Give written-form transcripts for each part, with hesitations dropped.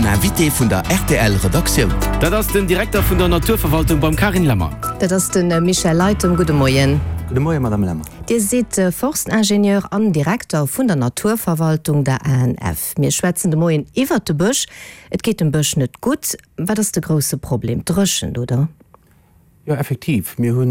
den Invité vun der rtl Redaktioun. Dat ass den Direkter vun der Naturverwaltung beim Carine Lemmer. Dat ass de Michel Leytem. Gudde Moien. Gudde Moien, Madame Lemmer. Dir sidd Forstingenieur an Direkter vun der Naturverwaltung, der ANF. Mir schwätzen de Moien iwwert de Bësch. Et geet dem Bësch net gutt. Wat ass de grousse Problem? D'Dréchent, oder? Jo, effektiv. Mir hu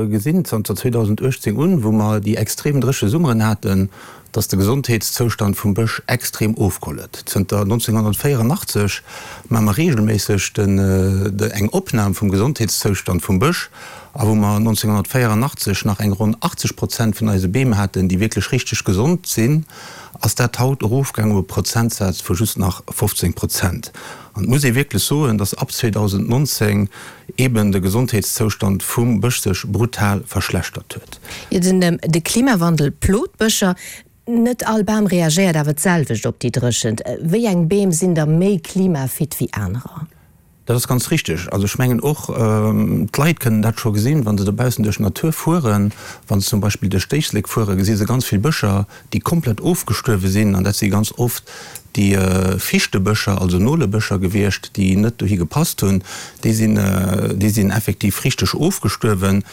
gesinn zanter 2018 un, wou mer déi extrem dréche Summeren haten, dass de Gesondheetszoustand vum Bësch extrem ofgeholl huet. Zënter 1984 maache mer reegelméisseg eng Opnam vum Gesondheetszoustand vum Bësch. A wou mer 1984 nach eng ronn 80 Prozent vun eise Beem haten, déi wierklech richteg gesond sinn, ass dat haut erofgaangen op e Prozentsaz vu just nach 15 Prozent. An et muss ee wierklech soen, dass ab 2019 eeben de Gesondheetszoustand vum Bësch sech brutal verschlechtert huet. Jo, den de Klimawandel plot d'Bëscher. Net all Bam reagéiert awer d'selwecht op déi Dréchent. Wéi eng Beem sinn da méi klimafit wéi anerer? Dat ass ganz richtig. Also ech mengen och, d'Leit kënnen dat scho gesinn, wa se dobaussen duerch d'Natur fueren. Wa se zum Beispill duerch d'Éislek fueren, gesi se ganz vill Bëscher, déi komplett ofgestuerwe sinn. An dat si ganz oft déi Fichtebëscher, also Nolebëscher gewiescht, déi net dohi gepasst hunn. Déi sinn, déi sinn effektiv richteg ofgestuerwen.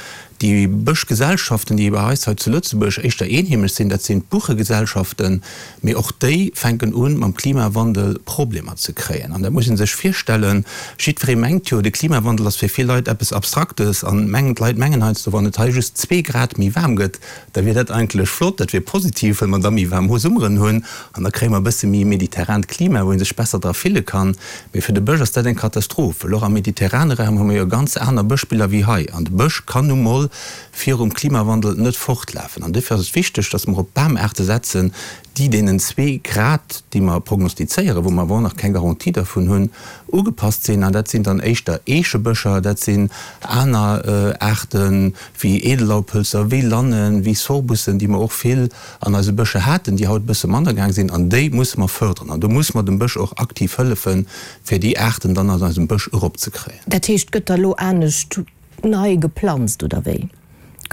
Déi Bëschgesellschaften, déi bei eis hei zu Lëtzebuerg éischter eenheemesch sinn, dat sinn d'Buchegesellschaften, mee och déi fänken u mam Klimawandel Problemer ze kréien. An dat muss ee sech virstellen. Jiddweree mengt jo, de Klimawandel ass fir vill Leit eppes Abstraktes an mengen, d'Leit mengen heiansdo, wann et hei just zwee Grad méi waarm gëtt, da wier dat eigentlech flott, dat wier positiv, well mer da méi waarm Summeren hunn an da kréie mer e bësse méi e mediterrant Klima, wou ee sech besser dra fille kann. Mee fir de Bësch ass dat eng Katastroph, well och am mediterrane Raum hu mer jo ganz aner Bëschbiller wéi hei. An de Bësch kann nu mol virum Klimawandel net fortlafen. An duerfir ass et wichteg, dass mer op Bamaarte setzen, déi deenen zwee Grad, déi mer prognostizéieren, wou mer awer och nach keng Garantie dervun hunn, ugepasst sinn. An dat sinn dann éischter Eechebëscher, dat sinn aner Aarte wéi Edellaubhölzer, wéi Lannen, wéi Sorbussen, déi mer och vill an eise Bëscher haten, déi haut e bësse manner gaang sinn. An déi musse mer förderen. An do musse mer dem Bësch och aktiv hëllefen, fir déi Aarten dann an eisem Bësch eropzekréien. Dat heescht, gëtt da lo anescht nei geplanzt oder wéi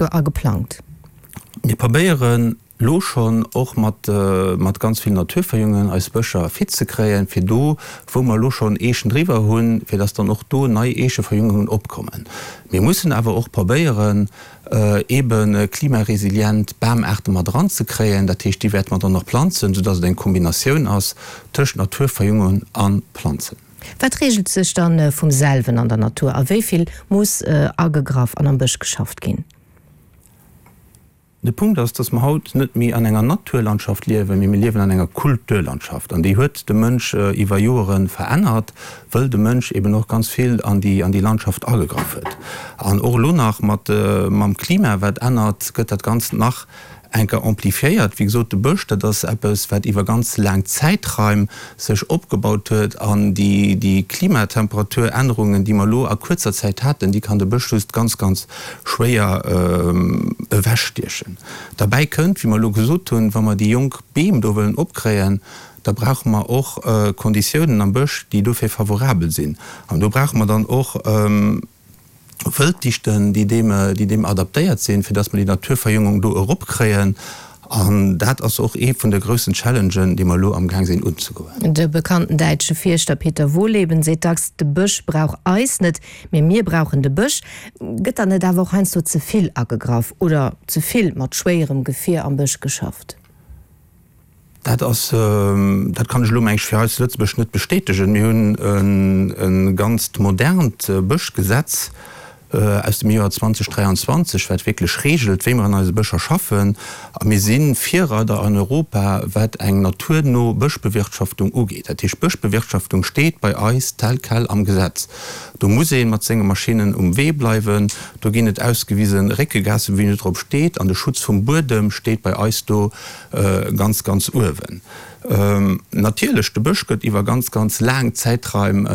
a geplangt? Mir probéieren lo schonn och mat mat ganz vill Naturverjüngen eis Bëscher fit ze kréien, fir do, wou mer elo schonn Eechen driwwer hunn, fir dass dann och do nei Eecheverjüngungen opkommen. Mir mussen awer och probéieren, eebe klimaresilient Bamaarte mat eranzekréien. Dat heescht, déi wäerte mer dann och planzen, soudass et eng Kombinatioun ass tëscht Naturverjüngung a Planzen. Wat reegelt sech dann vum selwen an der Natur a wéi vill muss agegraff an am Bësch geschafft ginn? De Punkt ass, dass mer haut net méi an enger Naturlandschaft liewen, mee mir liewen an enger Kulturlandschaft. An déi huet de Mënsch iwwer Joere verännert, wëll de Mënsch eben och ganz vill an déi, an déi Landschaft agegraff huet. An och elo nach mat, mam Klima, wat ännert, gëtt dat Ganzt nach enker amplifiéiert. Wéi gesot, de Bësch, dat ass eppes, wat iwwer ganz laang Zäitraim sech opgebaut huet. An déi, déi Klimatemperaturännerungen, déi mer elo a kuerzer Zäit haten, déi kann de Bësch just ganz, ganz schwéier ewechstiechen. Derbäi kënnt, wéi mer elo gesot hunn, wa mer déi jonk Beem do wëllen opkréien, da brauche mer och Konditiounen am Bësch, déi dofir favorabel sinn. An do brauche mer dann och Wëlddichten, déi deem, déi deem adaptéiert sinn, fir dass mer déi Naturverjüngung do eropkréien. An dat ass och ee vun de groussen Challengen, déi mer elo amgaang sinn unzegoen. De bekannten däitsche Fierschter Peter Wohlleben seet dacks, De Bësch brauch eis net, mee mir brauchen de Bësch. Gëtt dann net awer och heiansdo ze vill agegraff oder ze vill mat schwéierem Gefier am Bësch geschafft? Dat ass, dat kann ech elo meng ech fir hei zu Lëtzebuerg net bestätegen. Mir hunn e ganzt modernt Bëschgesetz aus dem Joer 2023, wat wierklech reegelt, wéi mer an eise Bëscher schaffen. A mir si Virreider an Europa, wat eng naturno Bëschbewirtschaftung ugeet. Dat heescht, Bëschbewirtschaftung steet bei eis tel quel am Gesetz. Do muss ee mat senge Maschinnen um Wee bleiwen. Do ginn et ausgewise Réckegaassen, wou een net drop steet. An de Schutz vum Buedem steet bei eis do ganz, ganz uewen. Natierlech, de Bësch gëtt iwwer ganz, ganz laang Zäitraim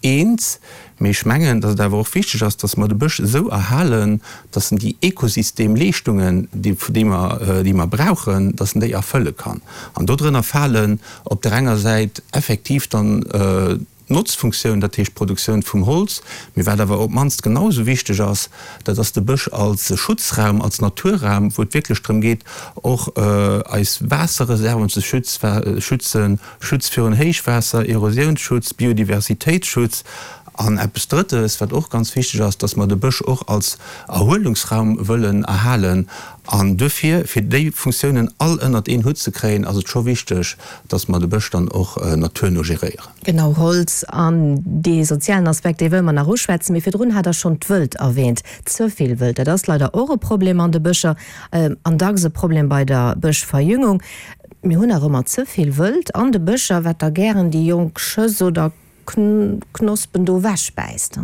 eens. Mee ech mengen, datt et awer och wichteg ass, datt mer de Bësch esou erhalen, datt en déi Ekosystemleeschtungen, déi, déi mer, déi mer brauchen, datt en déi erfëlle kann. An dodrënner falen op där enger Säit effektiv dann. D'Notzfunktioun, dat heescht d'Produktioun vum Holz, mee wat awer op d'mannst genau esou wichteg ass, dat ass de Bësch als Schutzraum, als Naturraum, wou et wierklech drëm geet, och eis Waasserreserven ze schützen, Schutz virun Héichwaasser, Erosiounsschutz, Biodiversitéitsschutz. An eppes Drëttes, wat och ganz wichteg ass, dass mer de Bësch och als Erhuelungsraum wëllen erhalen. An duerfir, fir déi Funktiounen all ënnert een Hutt ze kréien, ass et scho wichteg, dass mer de Bësch dann och naturno geréieren. Genau, Holz an dee sozialen Aspekt, dee wëlle mer nach uschwätzen. Mee virdrun hat Der schonn d'Wëld erwähnt. Ze vill Wëld, dat ass leider och e Problem an de Bëscher an dacks e Problem bei der Bëschverjüngung. Mir hunn nach ëmmer ze vill Wëld an de Bëscher, wat da gären déi jonk Schëss oder Knospen do ewechbäisst.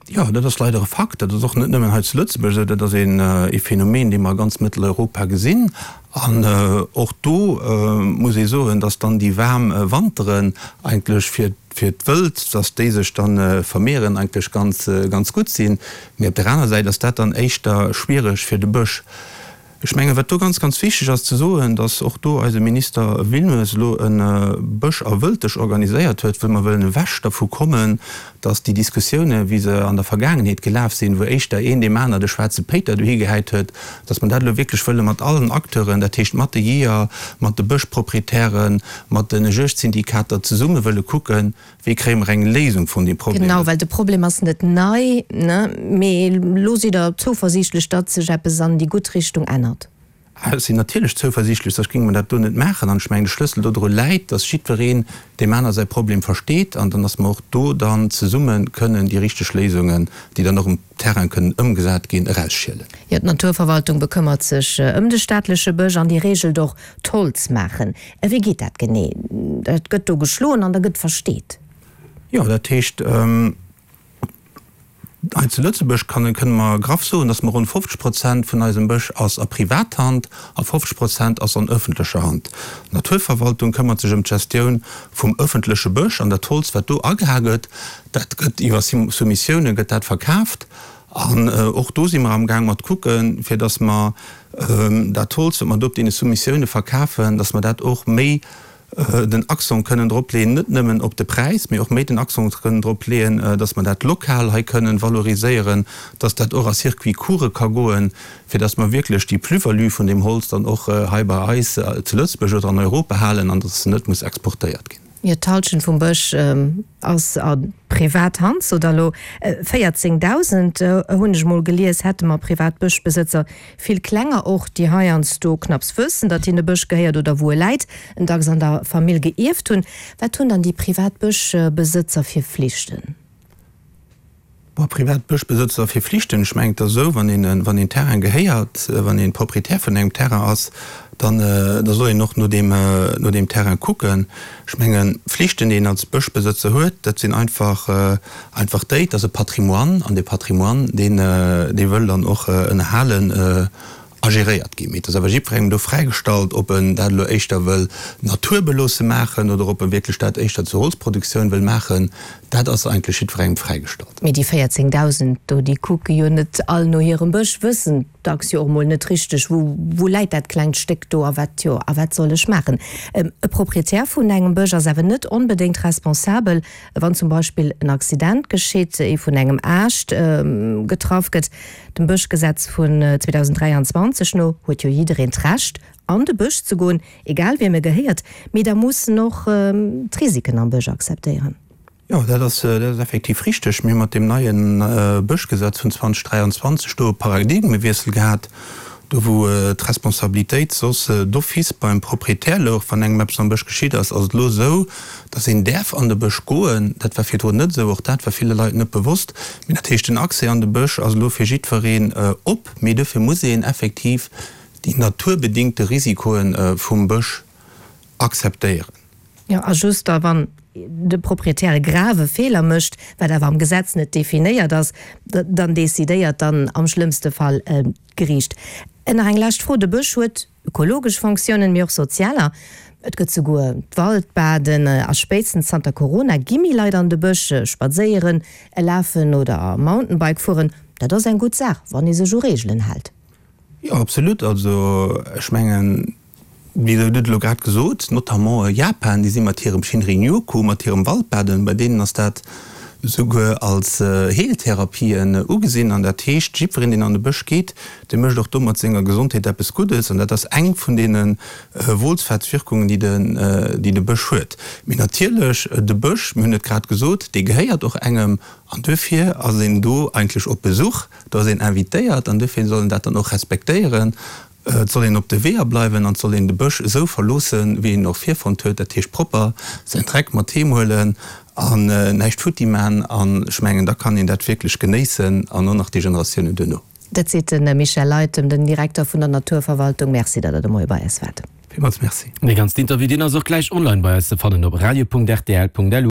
Jo, dat ass leider e Fakt. Dat ass och net nëmmen hei zu Lëtzebuerg esou, dat ass ee Phänomen, dee mer a ganz Mëtteleuropa gesinn. An och do muss ee soen, dass dann déi waarm Wanteren eigentlech fir fir d'Wëld, dass déi sech da vermehren, eigentlech ganz ganz gutt sinn. Mee op der aner Säit ass dat dann éischter schwiereg fir de Bësch. Ech mengen, wat do ganz, ganz wichteg ass ze soen, dass och do eise Minister Wilmes elo e Bësch a Wëlddesch organiséiert huet, wëll mer wëllen ewech dervu kommen, dass déi Diskussiounen, wéi se an der Vergaangenheet gelaf sinn, wou éischter een deem aner de schwaarze Péiter dohi gehäit huet, dass mer dat elo wierklech wëlle mat allen Acteuren, dat heescht mat de Jeeër, mat de Bëschproprietären, mat de Juegdsyndikater zesumme wëlle kucken, Wéi kréie mer eng Léisung vun deem Problem? Genau, well de Problem ass net nei, ne? Mee elo sidd Der zouversiichtlech, datt sech eppes an déi gutt Richtung ännert? Ech sinn natierlech zouversiichtlech, soss géinge mer dat do net maachen. An ech mengen, de Schlëssel dodru läit, datt jiddwereen deem aner säi Problem versteet an dann, datt mer och do dann zesumme kënnen déi richteg Léisungen, déi dann och um Terrain kënnen ëmgesat ginn, erausschielen. Jo, d'Naturverwaltung bekëmmert sech ëm de staatleche Bësch an déi reegelt och d'Holzmaachen. Wéi geet dat genee? Dat gëtt do geschloen an da gëtt versteet. Jo, dat heescht, hei zu Lëtzebuerg kann, kënne mer graff soen, datt mer ronn 50 Prozent vun eisem Bësch ass a Privathand a 50 Prozent ass an ëffentlecher Hand. D'Naturverwaltung këmmert sech ëm d'Gestioun vum ëffentleche Bësch an dat Holz, wat do ageha gëtt, dat gëtt iwwer Soumissioune gëtt dat verkaaft. An och do si mer amgaang mat kucken, fir datt mer dat Holz, wat mer do op deene Soumissioune verkafen, datt mer dat och méi den Accent kënnen drop leeën, net nëmmen op de Präis, mee och méi den Accent kënnen drop leeën, datt mer dat lokal hei kënnen valoriséieren, datt dat och a Circuits courts ka goen, fir datt mer wierklech déi Plus-value vun deem Holz dann och hei bei eis zu Lëtzebuerg oder an Europa halen an datt se net muss exportéiert ginn. Jo, d'Halschent vum Bësch ass a privat Hand, sot Der elo. 14.000, hunn ech mol gelies, hätte mer privat Bëschbesëtzer. Vill klenger och, déi heiansdo knapps wëssen, datt hinne Bësch gehéiert oder wou e läit, en dacks an der Famill geierft hunn. Wat hunn dann déi privat Bëschbesëtzer fir Flichten? Bon, privat Bëschbesëtzer fir Flichten, ech mengen, et ass esou, wann een, wann een Terrain gehéiert, wann een Proprietär vun engem Terrain ass, dann, da soll een och no deem, no deem Terrain kucken. Ech mengen, Flichten, déi een als Bëschbesëtzer huet, dat sinn einfach, einfach déi, et ass e Patrimoine, an dee Patrimoine, deen, dee wëll dann och ënnerhalen a geréiert ginn. Mee et ass awer jiddwerengem do fräigestallt, ob en dat elo éischter wëll naturbeloosse maachen oder ob e wierklech dat éischter zur Holzproduktioun wëll maachen. Dat ass eigentlech jiddwerengem fräigestallt. Mee déi 14.000 do, déi kucke jo net all no hirem Bësch, wëssen dacks jo och mol net richteg, wou, wou läit dat klengt Stéck do a wat, jo, a wat soll ech maachen. E Proprietär vun engem Bësch ass awer net onbedéngt responsabel, wann zum Beispill en Accident geschitt, ee vun engem Aascht getraff gëtt. Dem Bëschgesetz vun 2023 no huet jo jiddereen d'Recht, an de Bësch ze goen, egal wiem e gehéiert, mee da muss en och d'Risiken am Bësch akzeptéieren. Jo, dat ass, dat ass effektiv richteg. Mir hu mat deem neie Bëschgesetz vun 2023 do e Paradigmewiessel gehat, do wou d'Responsabilitéit soss d'office beim Proprietär louch, wann engem eppes am Bësch geschitt ass, ass et elo esou, dass een däerf an de Bësch goen. Dat war virdrun net esou, och dat war ville Leit net bewosst. Mee dat heescht, den Accès an de Bësch ass elo fir jiddwereen op, mee dofir muss een effektiv déi naturbedingte Risikoe vum Bësch akzeptéieren. Jo, a just da wann de Proprietär e grave Feeler mécht, wat awer am Gesetz net definéiert ass, dann decidéiert dann am schlëmmste Fall d'Geriicht. Nach eng lescht Fro, De Bësch huet ökologesch Fonctiounen, mee och sozialer. Et gëtt souguer d'Waldbaden a spéitstens zanter Corona gi méi Leit an de Bësch spadséieren, lafen oder Mountainbike fueren. Dat ass eng gutt Saach, wann ee sech u Reegelen hält. Jo, absolut. Also ech mengen. Wéi Der hutt et elo grad gesot, notamment Japan, déi si mat hirem Shinrin-yoku, mat hirem Waldbaden, bei deenen ass dat souguer als Heeltherapie ugesinn. An dat heescht, jiddwereen, deen an de Bësch geet, dee mécht och domat senger Gesondheet eppes Guddes. An dat ass eng vun deene Wohlfahrtswirkungen, déi de Bësch huet. Mee natierlech, de Bësch, mir hunn et grad gesot, dee gehéiert och engem. An duerfir ass een do eigentlech op Besuch, do ass een invitéiert an duerfir soll een dat dann och respektéieren. Et soll een op de Weeër bleiwen an et soll een de Bësch esou verloossen, wéi een en och virfonnt huet, dat heescht propper säin Dreck mat heem huelen an näischt futti man. An ech mengen, da kann een dat wierklech genéissen an och nach déi Generatiounen duerno. Dat seet de Michel Leytem, den Direkter vun der Naturverwaltung. Merci, datt Der de Moie bei eis waart. Villmools Merci. Dee ganzen Interview, deen ass och gläich online bei eis ze fannen op radio.rtl.lu.